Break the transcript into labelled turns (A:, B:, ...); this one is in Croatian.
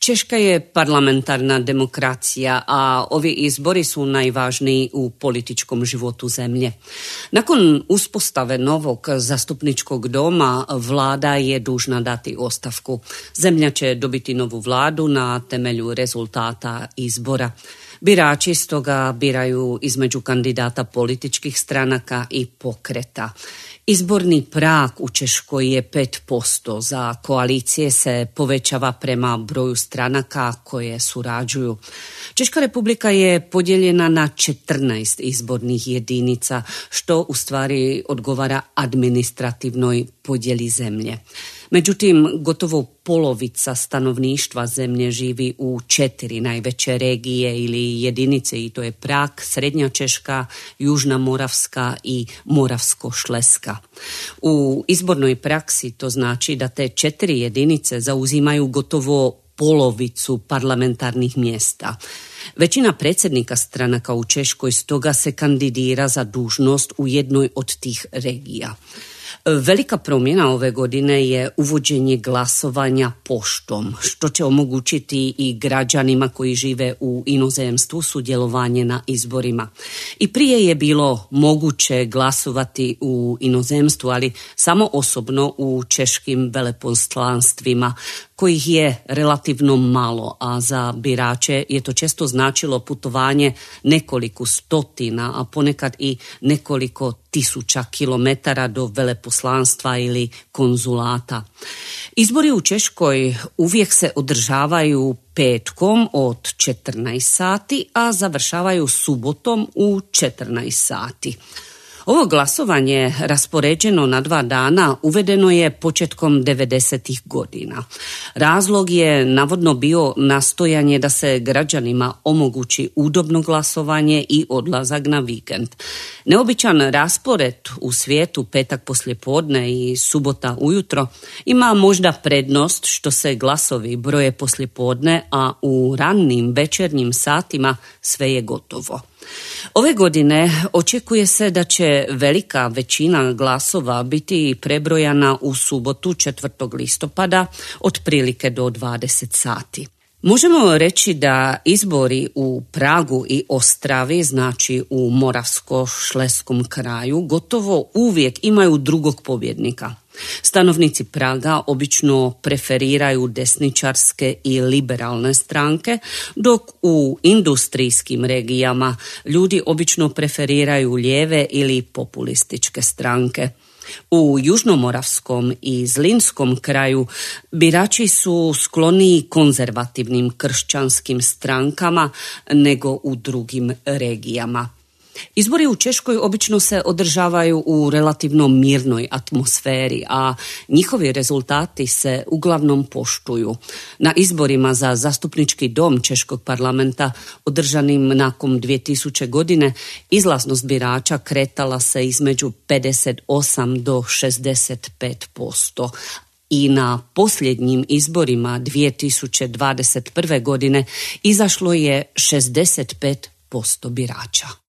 A: Češka je parlamentarna demokracija, a ovi izbori su najvažniji u političkom životu zemlje. Nakon uspostave novog zastupničkog doma, vlada je dužna dati ostavku. Zemlja će dobiti novu vladu na temelju rezultata izbora. Birači stoga biraju između kandidata političkih stranaka i pokreta. Izborni prag u Češkoj je 5%, za koalicije se povećava prema broju stranaka koje surađuju. Češka republika je podijeljena na 14 izbornih jedinica, što u stvari odgovara administrativnoj podjeli zemlje. Međutim, gotovo polovica stanovništva zemlje živi u 4 najveće regije ili jedinice, i to je Prag, Srednja Češka, Južna Moravska i Moravsko-Šleska. U izbornoj praksi to znači da te 4 jedinice zauzimaju gotovo polovicu parlamentarnih mjesta. Većina predsjednika stranaka u Češkoj stoga se kandidira za dužnost u jednoj od tih regija. Velika promjena ove godine je uvođenje glasovanja poštom, što će omogućiti i građanima koji žive u inozemstvu sudjelovanje na izborima. I prije je bilo moguće glasovati u inozemstvu, ali samo osobno u češkim veleposlanstvima, kojih je relativno malo, a za birače je to često značilo putovanje nekoliko stotina, a ponekad i nekoliko tisuća kilometara do veleposlanstva ili konzulata. Izbori u Češkoj uvijek se održavaju petkom od 14 sati, a završavaju subotom u 14 sati. Ovo glasovanje, raspoređeno na 2 dana, uvedeno je početkom 90. godina. Razlog je navodno bio nastojanje da se građanima omogući udobno glasovanje i odlazak na vikend. Neobičan raspored u svijetu, petak poslijepodne i subota ujutro, ima možda prednost što se glasovi broje poslijepodne, a u ranim večernjim satima sve je gotovo. Ove godine očekuje se da će velika većina glasova biti prebrojana u subotu 4. listopada, otprilike do 20 sati. Možemo reći da izbori u Pragu i Ostravi, znači u Moravsko-Šleskom kraju, gotovo uvijek imaju drugog pobjednika. Stanovnici Praga obično preferiraju desničarske i liberalne stranke, dok u industrijskim regijama ljudi obično preferiraju lijeve ili populističke stranke. U Južnomoravskom i Zlinskom kraju birači su skloniji konzervativnim kršćanskim strankama nego u drugim regijama. Izbori u Češkoj obično se održavaju u relativno mirnoj atmosferi, a njihovi rezultati se uglavnom poštuju. Na izborima za zastupnički dom Češkog parlamenta, održanim nakon 2000 godine, izlaznost birača kretala se između 58 do 65%. I na posljednjim izborima 2021. godine izašlo je 65% birača.